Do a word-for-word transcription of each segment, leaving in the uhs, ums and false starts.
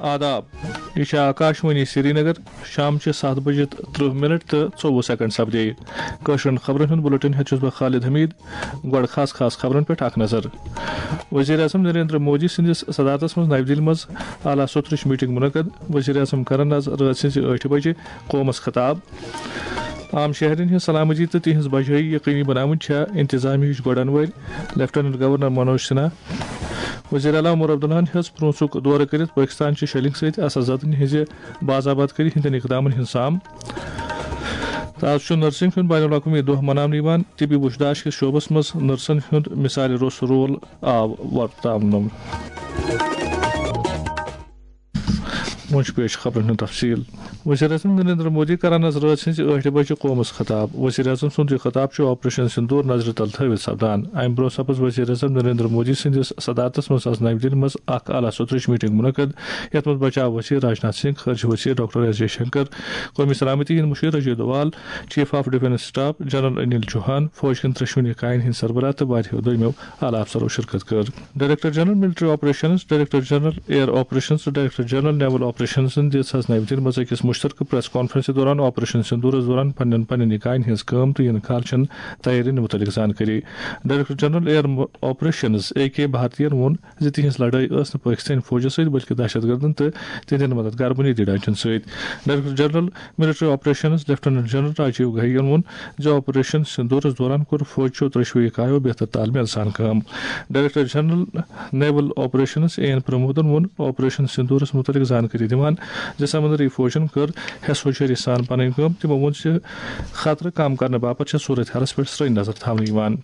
آداب، یہِ چھِ آکاشوانی سرینگر۔ شام چہِ ستھ بجہِ تہٕ ترٕہ منٹ تہٕ ژوٚوُہ سیکنڈ سپدے۔ کٲشرٮ۪ن خبرن ہُنٛد بُلٹن ہٮ۪تھ چھُس بہٕ خالد حمید۔ گۄڈٕ خاص خاص خبرن پٮ۪ٹھ اکھ نظر۔ وزیر اعظم نریندر مودی سٕنٛدِس صدارتس منٛز نَوِ دِلہِ منٛز اعلیٰ سطرٕچ میٹنگ منعقد۔ وزیر اعظم کرن از رٲژ ہٕنٛزِ ٲٹھِ بجہِ قومس خطاب۔ عام شہرین ہٕنٛز سلامتی تہٕ تِہنٛز بجٲیی یقینی بناوٕنۍ چھےٚ انتظامیہٕچ گۄڈن وٲرۍ، لیفٹیننٹ گورنر منوج سنہا۔ وزیر اعلیٰ عمر عبداللہن ہیٚژ پرونسُک دورٕ کٔرِتھ پٲکستان چہِ شیلنگ سۭتۍ اثر زدن ہٕنٛزِ باضابطگی ہٕنٛدٮ۪ن اقدامن ہُنٛد سام۔ تہٕ از چھُ نرسنگ ہُنٛد بین الاقوٲمی دۄہ مناونہٕ یِوان۔ طبی وُچھداشت کِس شعبس منٛز نرسن ہُنٛد مثالہِ روٚس رول آو ورتاونہٕ۔ وۄنۍ چھُ پیش خبرن ہُنٛد تفصیل۔ وزیر اعظم نریندر مودی کرن از رٲژ ہٕنٛزِ ٲٹھِ بجہِ قومس خطاب۔ وزیر اعظم سُنٛد یہِ خطاب چھُ آپریشن سندور نظرِ تل تھٲوِتھ سپدان۔ امہِ برونٛہہ سپٕز وزیر اعظم نریندر مودی سٕنٛدِس صدارتس منٛز از نَوِ دِلہِ منٛز اکھ اعلیٰ سطرٕچ میٹنگ منعقد، یتھ منٛز بچاو وزیر راجناتھ سنگھ، خارجہ وزیر ڈاکٹر ایس جے شنکر، قومی سلامتی ہٕنٛدۍ مشیر Ajay Doval, chief of defence staff general Anil Chauhan, فوج کٮ۪ن ترٛشوٕنی کایَن ہٕنٛدۍ سربراہ تہٕ واریاہو دوٚیمٮ۪و اعلیٰ افسرو شرکت کٔر۔ Director general military operations, director general air operations تہٕ ڈائریکٹر جنرل نیول آپریشنزن دِژ از نَوِ دِلہِ منٛز أکِس مُشترکہٕ پریس کانفرنسہِ دوران آپریشن سندورس دوران پننٮ۪ن پننٮ۪ن اکاین ہٕنٛز کٲم تہٕ یِنہٕ کالہٕ چٮ۪ن تیارین مُتعلق زانکٲری۔ Director general air operations A K بھارتین ووٚن زِ تِہنٛز لڑٲے ٲس نہٕ پٲکستٲنۍ فوجس سۭتۍ بلکہِ دہشت گردن تہٕ تِہنٛدٮ۪ن مددگار بنیٲدی ڈھانچن سۭتۍ۔ Director general military operations lieutenant general Rajiv گہیَن ووٚن زِ آپریشن سندورس دوران کوٚر فوجچو ترٛشوٕے اکایو بہتر تال میل سان کٲم۔ Director general naval operations A N پرمودن ووٚن آپریشن سندورس متعلق زانکٲری دِوان زِ سمندری فوجن کٔر حیس ہوشیٲری سان پنٕنۍ کٲم۔ تِمو ووٚن زِ خطرٕ کم کرنہٕ باپتھ چھےٚ صورت حالس پٮ۪ٹھ سرٛنۍ نظر تھاونہٕ یِوان۔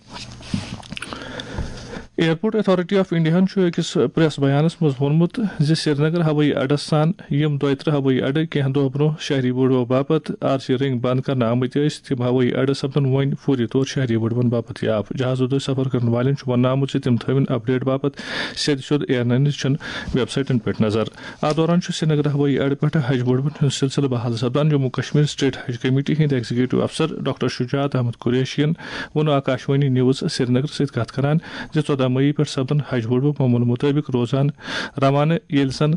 ایئرپورٹ اتھارٹی آف انڈیاہن چھُ أکِس پریس بیانس منٛز ووٚنمُت زِ سرینگر ہوٲیی اڈس سان یِم دۄیہِ ترٕہ ہوٲیی اڈٕ کینٛہہ دۄہ برونٛہہ شہری وٲڈوو باپتھ آر سی رنگ بند کرنہٕ آمٕتۍ ٲسۍ، تِم ہوٲیی اڈٕ سپدن وۄنۍ فوری طور شہری وٲڈوَن باپتھ یاف۔ جہازو دٔسۍ سفر کرن والٮ۪ن چھُ وننہٕ آمُت زِ تِم تھٲوِن اپڈیٹ باپتھ سیٚدِ سیوٚد ایئر لائنز چٮ۪ن ویب سائٹن پٮ۪ٹھ نظر۔ اتھ دوران چھُ سرینگر ہوٲیی اڈٕ پٮ۪ٹھٕ حج وٲڈوَن ہُنٛد سلسلہٕ بحال سپدان۔ جموں کشمیر اسٹیٹ حج کمیٹی ہٕنٛدۍ ایگزیکٹو افسر ڈاکٹر شجاعت احمد قریشین ووٚن آکاشوانی نیوز سرینگر سۭتۍ کتھ کران زِ ژۄدہ مئی پٮ۪ٹھ سپدن حج وٲڈوٕ معموٗل مطٲبق روزان روانہٕ، ییٚلہِ زن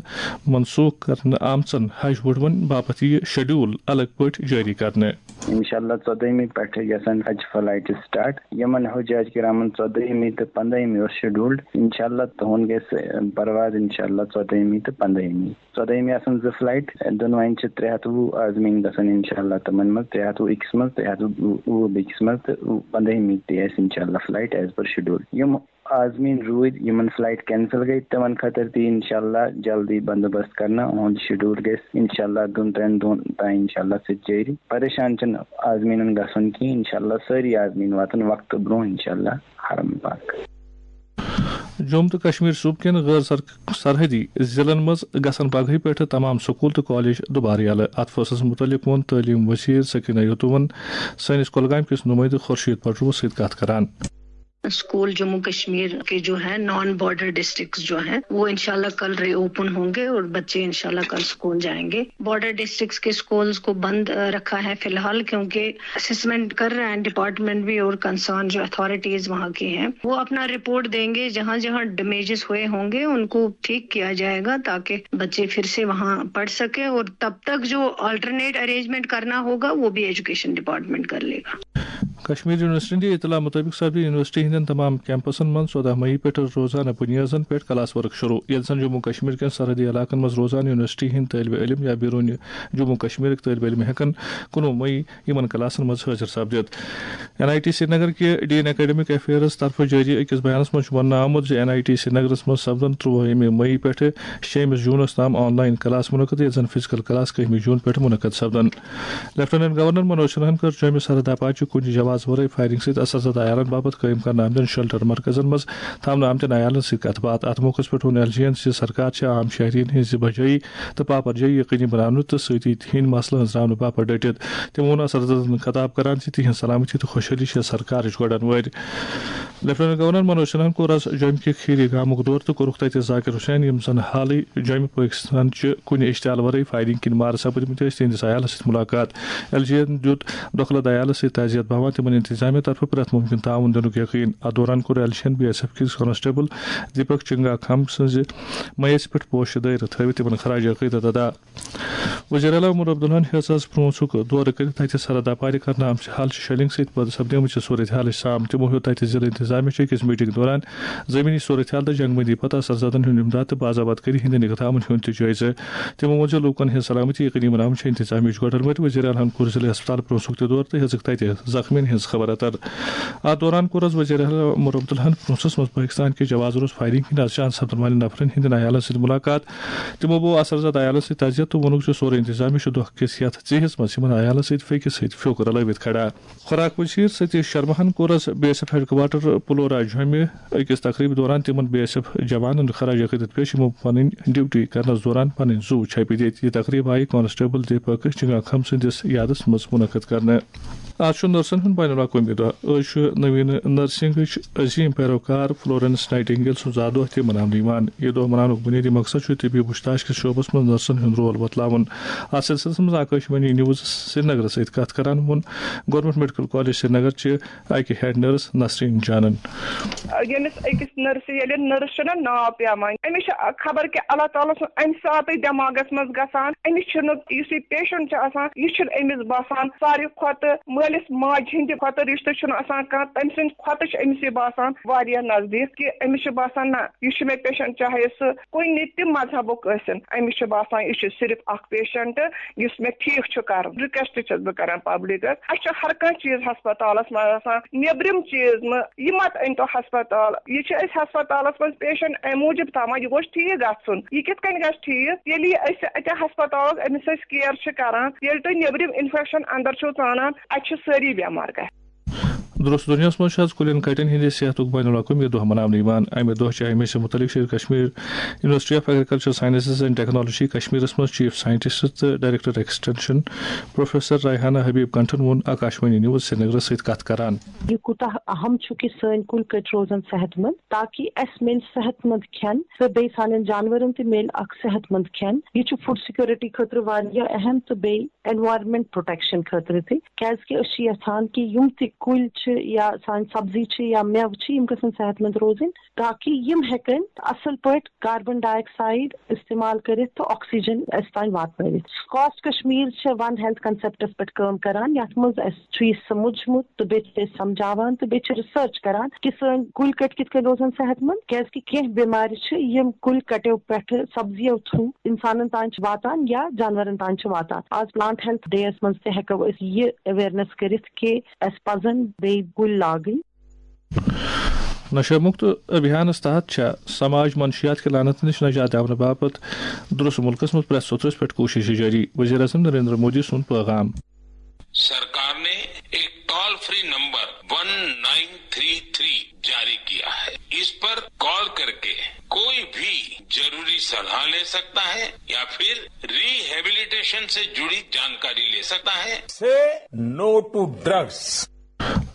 منسوخ کرنہٕ آمژن حج وٲڈوَن باپتھ یِیہِ شیڈول الگ پٲٹھۍ جٲری کرنہٕ۔ انشاءاللہ ژۄدٲہمہِ پٮ۪ٹھٕ گژھن حج فلائٹ سٹارٹ۔ یِمن حجاج کرامن ژۄدٲہمہِ تہٕ پنٛدٲہمہِ اوس شیڈولڈ۔ انشاءاللہ تُہُنٛد گژھِ پرواز انشاءاللہ ژۄدٲہمہِ تہٕ پنٛدٲہمہِ۔ ژۄدٲہمہِ آسن زٕ فلائٹ، دۄنوَے چھِ ترٛےٚ ہَتھ وُہ آزمین گژھن انشاءاللہ تِمن منٛز، ترٛےٚ ہَتھ وُہ أکِس منٛز، ترٛےٚ ہَتھ وُہ بیٚکِس منٛز تہٕ پنٛدٲہمہِ تہِ آسہِ انشاءاللہ فلائٹ as per schedule۔ یِم آزمین روٗدۍ، یِمن فلائٹ کینسل گٔے، تِمن خٲطرٕ تہِ انشاءاللہ جلدی بندوبست کرنہٕ۔ اُہُنٛد شیڈول گژھِ انشاءاللہ دۄن ترٛٮ۪ن دۄہن تام انشاءاللہ سۭتۍ جٲری۔ پریشان چھِنہٕ آزمیٖنن گژھُن کینٛہہ، انشاءاللہ سٲری آزمیٖن واتن وقتہٕ برونٛہہ انشاءاللہ حرم پاک۔ جوٚم تہٕ کشمیر صوٗبہٕ کٮ۪ن غٲر سر-، سرحدی ضلعن منٛز گژھن پگہٕے پٮ۪ٹھٕ تمام سکوٗل تہٕ کالج دُبارٕ یلہٕ۔ اتھ فٲصلس مُتعلق ووٚن تعلیٖم وزیر سکینہ یتومن سٲنِس کۄلگامہِ کِس نُمٲیندٕ خورشید پٹروَس سۭتۍ کتھ کران۔ اسکول جموں کشمیر کے جو ہیں نان بارڈر ڈسٹرکٹس جو ہیں، وہ انشاءاللہ کل ری اوپن ہوں گے اور بچے انشاءاللہ کل اسکول جائیں گے۔ بارڈر ڈسٹرکٹس کے اسکولز کو بند، آ، رکھا ہے فی الحال، کیونکہ اسسمنٹ کر رہے ہیں ڈپارٹمنٹ بھی اور کنسرن جو اتھارٹیز وہاں کی ہیں، وہ اپنا رپورٹ دیں گے۔ جہاں جہاں ڈیمیجز ہوئے ہوں گے ان کو ٹھیک کیا جائے گا تاکہ بچے پھر سے وہاں پڑھ سکیں، اور تب تک جو آلٹرنیٹ ارینجمنٹ کرنا ہوگا وہ بھی ایجوکیشن ڈپارٹمنٹ کر لے گا۔ کشمیر یونیورسٹی ہٕنٛدِ اطلاع مُطٲبِق سپدِ یونیورسٹی ہٕنٛدٮ۪ن تمام کیمپسن منٛز ژۄدہ مئی پٮ۪ٹھ روزانہٕ بُنیٲدن پٮ۪ٹھ کلاس ورک شروع، ییٚلہِ زن جموں کشمیر کٮ۪ن سرحدی علاقن منٛز روزان یونیورسٹی ہٕنٛدۍ طٲلبہِ علم یا بیروٗنہِ جموں کشمیرٕکۍ طٲلبہِ علم ہٮ۪کن کُنوُہ مئی یِمن کلاسن منٛز حٲضِر سپدِتھ۔ این آئی ٹی سرینگر کہِ ڈیٖن اکیڈمک افیئرز طرفہٕ جٲری أکِس بیانس منٛز چھُ وننہٕ آمُت زِ این آئی ٹی سرینگرس منٛز سپدن ترٛوُہمہِ مئی پٮ۪ٹھٕ شیٚیِمہِ جوٗنس تام آن لائن کلاس منعقد، ییٚتہِ زن فزیکل کلاس کٔہمہِ جوٗن پٮ۪ٹھ منعقد سپدن۔ لیفٹیننٹ گورنر منوج سنہاہن کٔر جوٚمہِ سرحد اپارچہِ کُنہِ جواز ورٲے فائرنگ سۭتۍ اثر زدہ عیالن باپتھ قٲیِم کرنہٕ آمتٮ۪ن شیلٹر مرکزن منٛز تھاونہٕ آمتٮ۪ن عیالن سۭتۍ کتھ باتھ۔ اتھ موقعس پٮ۪ٹھ ووٚن ایل جی یَن زِ سرکار چھِ عام شہرین ہٕنٛزِ بجٲیی تہٕ پاپر جٲیی یقینی بناونہٕ تہٕ سۭتی تِہنٛدۍ مسلہٕ أنٛزراونہٕ باپتھ ڈٔٹِتھ۔ تِمو ووٚن اثر زدن خطاب کران زِ تِہنٛز سلامتی تہٕ خۄشحٲلی چھےٚ سرکارٕچ گۄڈن وٲرۍ۔ لیفٹیننٹ گورنر منوج سنہاہن کوٚر از جوٚمہِ کہِ کھیری گامُک دورٕ تہٕ کوٚرُکھ تتہِ ذاکر حسین، یِم زن حالٕے جوٚمہِ پٲکستان چہِ کُنہِ اشتعال ورٲے فائرنگ کِنۍ مارٕ سپٕدمٕتۍ ٲسۍ، تِہنٛدِس عیالس سۭتۍ مُلاقات۔ ایل جی یَن دیُت دۄکھٕ لد عیالس سۭتۍ تعزیت باوان۔ انتظامیہ طرفہٕ پرٛٮ۪تھ مُمکِن تعاوُن دِنُک یقین۔ اتھ دوران کوٚر ایل شین بی ایس ایف کِس کانسٹیبل دیپک چنگا کھم سٕنٛزِ میسہِ پٮ۪ٹھ پوشہٕ دٲرِتھ تھٲوِتھ تِمن خراج عقیدت ادا۔ وزیر اعلیٰ عمر عبداللہن ہیٚژ از پرونسُک دورٕ کٔرِتھ تتہِ سرحد اپارِ کرنہٕ آمژِ حالچہِ شیلنگ سۭتۍ پٲدٕ سپدیمٕژ صورتحالٕچ سام۔ تِمو ہیوٚت تتہِ ضلع انتظامیہ چہِ أکِس میٹنگ دوران زمینی صورتحال تہٕ جنگبندی پتہٕ اثر زدن ہُنٛد امداد تہٕ باضابط کٔرِتھ ہٕنٛدٮ۪ن اقدامن ہُنٛد تہِ جٲیزٕ۔ تِمو ووٚن زِ لوٗکن ہٕنٛز سلامتی یقینی بناونہٕ چھِ انتظامیہٕچ گۄڈٕ مٔتۍ۔ وزیر اعلیٰ ہن کوٚر ضلع ہسپتال پرونسُک تہِ دورٕ تہٕ ہیٚژٕکھ تتہِ زخمیَن ہٕنٛز خبر اتر۔ اتھ دوران کوٚر از وزیر اعلیٰ عمر عبداللہن پرونسس منٛز پٲکستان کہِ جواز روز فائرنگ ہٕنٛدۍ از جان سپدن والٮ۪ن نفرن ہٕنٛدٮ۪ن عیالن سۭتۍ ملاقات۔ تِمو بوو اثر زدٕ عیالن سۭتۍ تعزیت تہٕ ووٚنُکھ زِ سورُے انتظامیہ چھُ دۄہ کِس یتھ ژیہِس منٛز یِمن عیالن سۭتۍ فیکِس سۭتۍ فیوٚک رلٲوِتھ کھڑا۔ خوراک وزیر ستیش شرماہن کوٚر از B S F headquarters Paloura جوٚمہِ أکِس تقریبہِ دوران تِمن بی ایس ایف جوانن خراج عقیدت پیش، یِمو پنٕنۍ ڈیوٹی کرنس دوران پنٕنۍ زُو چھپہِ دِتۍ۔ یہِ تقریب آیہِ کانسٹیبل دیپک چنگا کھم سٕنٛدِس یادس منٛز منعقد کرنہٕ۔ آز چھُ نرسن ہُنٛد بین الاقوٲمی دۄہ۔ أزۍ چھُ نویٖن نرسنگٕچ عظیٖم پیروکار فلورنس نائٹنگیل سُنٛد زا دۄہ تہِ مناونہٕ یِوان۔ یہِ دۄہ مناونُک بُنیٲدی مقصد چھُ طبی وُچھتاش کِس شعبس منٛز نرسن ہُنٛد رول بتلاوُن۔ اتھ سلسلس منٛز آکاشوانی نیوز سرینگرس سۭتۍ کتھ کران ووٚن گورنمنٹ میڈیکل کالج سرینگر چہِ اکہِ ہیڈ نرس نسرین جانن۔ ییٚمِس أکِس نرسہِ، ییٚلہِ نرس چھُنہ ناو پٮ۪وان، أمِس چھُ خبر کہِ اللہ تعالیٰ سُنٛد اَمہِ ساتہٕ دٮ۪ماغس منٛز گژھان، أمِس چھُنہٕ، یُس یہِ پیشنٹ چھُ آسان، یہِ چھُنہٕ أمِس باسان۔ ساروی کھۄتہٕ مٲلِس ماجہِ ہِنٛدِ کھۄتہٕ رِشتہٕ چھُنہٕ آسان کانٛہہ، تٔمۍ سٕنٛدِ کھۄتہٕ چھُ أمِس یہِ باسان واریاہ نزدیٖک کہِ أمِس چھُ باسان، نہ، یہِ چھُ مےٚ پیشنٹ، چاہے سُہ کُنہِ تہِ مذہبُک ٲسِن، أمِس چھُ باسان یہِ چھُ صرف اکھ پیشنٹ یُس مےٚ ٹھیٖک چھُ کرُن۔ رِکویسٹ چھَس بہٕ کران پبلکس، اَسہِ چھُ ہر کانٛہہ چیٖز ہسپتالس منٛز آسان، نیٚبرِم چیٖز نہٕ، یہِ مت أنۍ تو ہسپتال۔ یہِ چھِ أسۍ ہسپتالس منٛز پیشنٹ امہِ موٗجوٗب تھاوان، یہِ گوٚژھ ٹھیٖک گژھُن۔ یہِ کِتھ کٔنۍ گژھِ ٹھیٖک؟ ییٚلہِ یہِ أسۍ اتہِ ہسپتالس أمِس أسۍ کیر چھِ کران، ییٚلہِ تُہۍ نیٚبرِم انفیکشن اندر چھِو ژانان، اتہِ چھِ سٲری بٮ۪مار گژھان۔ درست دُنیاہَس منٛز چھُ آز کُلٮ۪ن کَٹٮ۪ن ہٕنٛدِ صحتُک بین الاقوٲمی دۄہ مناونہٕ یِوان۔ اَمہِ دۄہ چھِ اَمہِ سۭتۍ مُتعلِق Sher Kashmir university of agriculture sciences and technology کشمیرَس منٛز چیف سائنٹسٹ تہٕ director extension professor Rehana Habib کنٹھن ووٚن آکاشوانی نیوز سرینگرَس سۭتۍ کَتھ کران۔ یہِ کوٗتاہ اہم چھُ کہِ سٲنۍ کُلۍ کٔٹۍ روزن صحت مند، تاکہِ اَسہِ میلہِ صحت مند کھٮ۪ن تہٕ بیٚیہِ سانٮ۪ن جانورن تہِ میلہِ اکھ صحت مند کھٮ۪ن۔ یہِ چھُ فوڈ سیکورٹی خٲطرٕ واریاہ اہم تہٕ بیٚیہِ انوائرمنٹ پروٹیکشن خٲطرٕ تہِ، کیازِ کہِ أسۍ چھِ یژھان کہِ یِم تہِ کُلۍ چھِ یا سانہِ سبزی چھِ یا مٮ۪وٕ چھِ، یِم گژھن صحت مند روزٕنۍ، تاکہِ یِم ہٮ۪کن اصل پٲٹھۍ کاربن ڈائی آکسائیڈ استعمال کٔرِتھ تہٕ آکسیجن اَسہِ تام واتنٲوِتھ۔ کاسٹ کشمیر چھِ ون ہیلتھ کنسپٹس پٮ۪ٹھ کٲم کران، یتھ منٛز اَسہِ چھُ یہِ سمجھمُت تہٕ بیٚیہِ چھِ أسۍ سمجھاوان تہٕ بیٚیہِ چھِ ریسرچ کران کہِ سٲنۍ کُلۍ کٔٹۍ کِتھ کٔنۍ روزن صحت مند، کیازِ کہِ کینٛہہ بٮ۪مارِ چھِ یِم کُلۍ کٹیو پٮ۪ٹھٕ سبزیو تھرو انسانن تام چھِ واتان یا جانورن تام چھِ واتان۔ آز پلانٹ ہیلتھ ڈے یس منٛز تہِ ہٮ۪کو أسۍ یہِ اویرنس کٔرِتھ کہِ اَسہِ پزن بیٚیہِ کُلۍ لاگٕنۍ۔ نشہ مکت ابھیانس تحت چھےٚ سماج منشیات کہِ لعنت نِش نجات دِونہٕ باپتھ درست ملکس منٛز پرٛٮ۪تھ سوٚتھرس پٮ۪ٹھ کوٗشش جٲری، وزیر اعظم نریندر مودی سُنٛد پیغام۔ सरकार ने एक toll free number one nine three three जारी किया है। इस पर कॉल करके कोई भी जरूरी सलाह ले सकता है या फिर रिहेबिलिटेशन से जुड़ी जानकारी ले सकता है। Say no to drugs.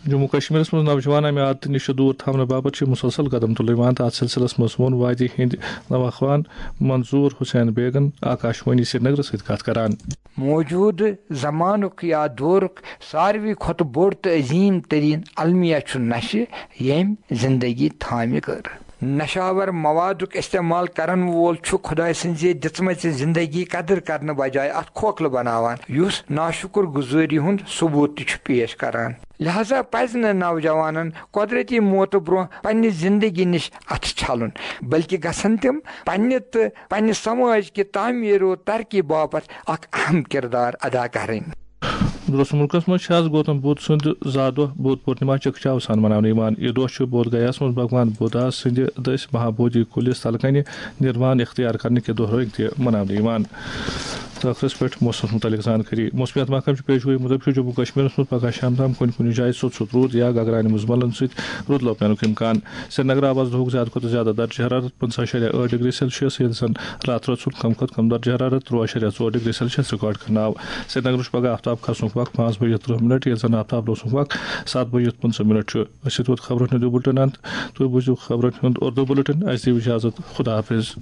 Jammu کشمیرس منٛز نوجوان امہِ عادتہٕ نِش دوٗر تھاونہٕ باپتھ چھِ مسلسل قدم تُلنہٕ یِوان تہٕ اتھ سلسلس منٛز ووٚن وادی ہٕنٛدۍ نوخوان منظور حسین بیگن آکاشوانی سرینگرس سۭتۍ کتھ کران۔ موجودٕ زمانُک یا دورُک ساروی کھۄتہٕ بوٚڑ تہٕ عظیٖم تریٖن المیہ چھُ نشہٕ، ییٚمۍ زندگی تھامہِ کٔر۔ نشاور موادُک استعمال کرن وول چھُ خۄداے سٕنٛزِ دِژمٕژِ زندگی قدٕر کرنہٕ بجایہِ اتھ کھوکھلہٕ بناوان، یُس ناشُکر گُزٲری ہُنٛد ثبوت تہِ چھُ پیش کران۔ لہذا پزِ نہٕ نوجوانن قۄدرتی موتہٕ برونٛہہ پننہِ زندگی نِش اتھٕ چھلُن، بلکہِ گژھن تِم پننہِ تہٕ پننہِ سماج کہِ تعمیٖر و ترقی باپتھ اکھ اہم کردار ادا کرٕنۍ۔ درست ملکس منٛز چھِ آز گوتم بدھ سُنٛد زا دۄہ بودھ پورنما چکچاو سان مناونہٕ یِوان۔ یہِ دۄہ چھُ بودھ گیاہس منٛز بھگوان بُدھا سٕنٛدِ دٔسۍ مہابودھی کُلِس تلہٕ کنہِ نروان اختیار کرنہٕ کہِ دۄہ رٲنۍ تہِ مناونہٕ یِوان۔ تہٕ ٲخرس پٮ۪ٹھ موسمس مُتعلق زانکٲری۔ موسمیات محکمہٕ چھُ پیش گویی مُطٲبِق چھُ جموں کشمیرس منٛز پگاہ شام تام کُنہِ کُنہِ جایہِ ژوٚٹ ژوٚٹ روٗد یا گگرانہِ مُزملن سۭتۍ روٗد لوپنُک امکان۔ سرینگر آو آز دُہُک زیادٕ کھۄتہٕ زیادٕ درجہ حرارت پنٛژاہ اَشاریہ ٲٹھ ڈگری سیلسیس، ییٚلہِ زن راتہٕ رٲژ ہُنٛد کم کھۄتہٕ کم درجہ حرارت تُرٛواہ اَشاریہ ژور ڈگری سیلسیس ریکارڈ کرنہٕ آو۔ سرینگرس چھُ پگاہ آفتاب کھسنُک وقت پانٛژھ بجے ترٕٛہ منٹ، ییٚلہِ زن آفتاب لوسنُک وقت ستھ بجے پٕنٛژٕہ منٹ چھُ۔ أسۍ ووت خبرن ہُنٛد یہِ بُلٹن انت۔ تُہۍ بوٗزِو خبرن ہُنٛد اردو بُلٹن۔ اَسہِ دِیِو اجازت۔ خدا حافظ۔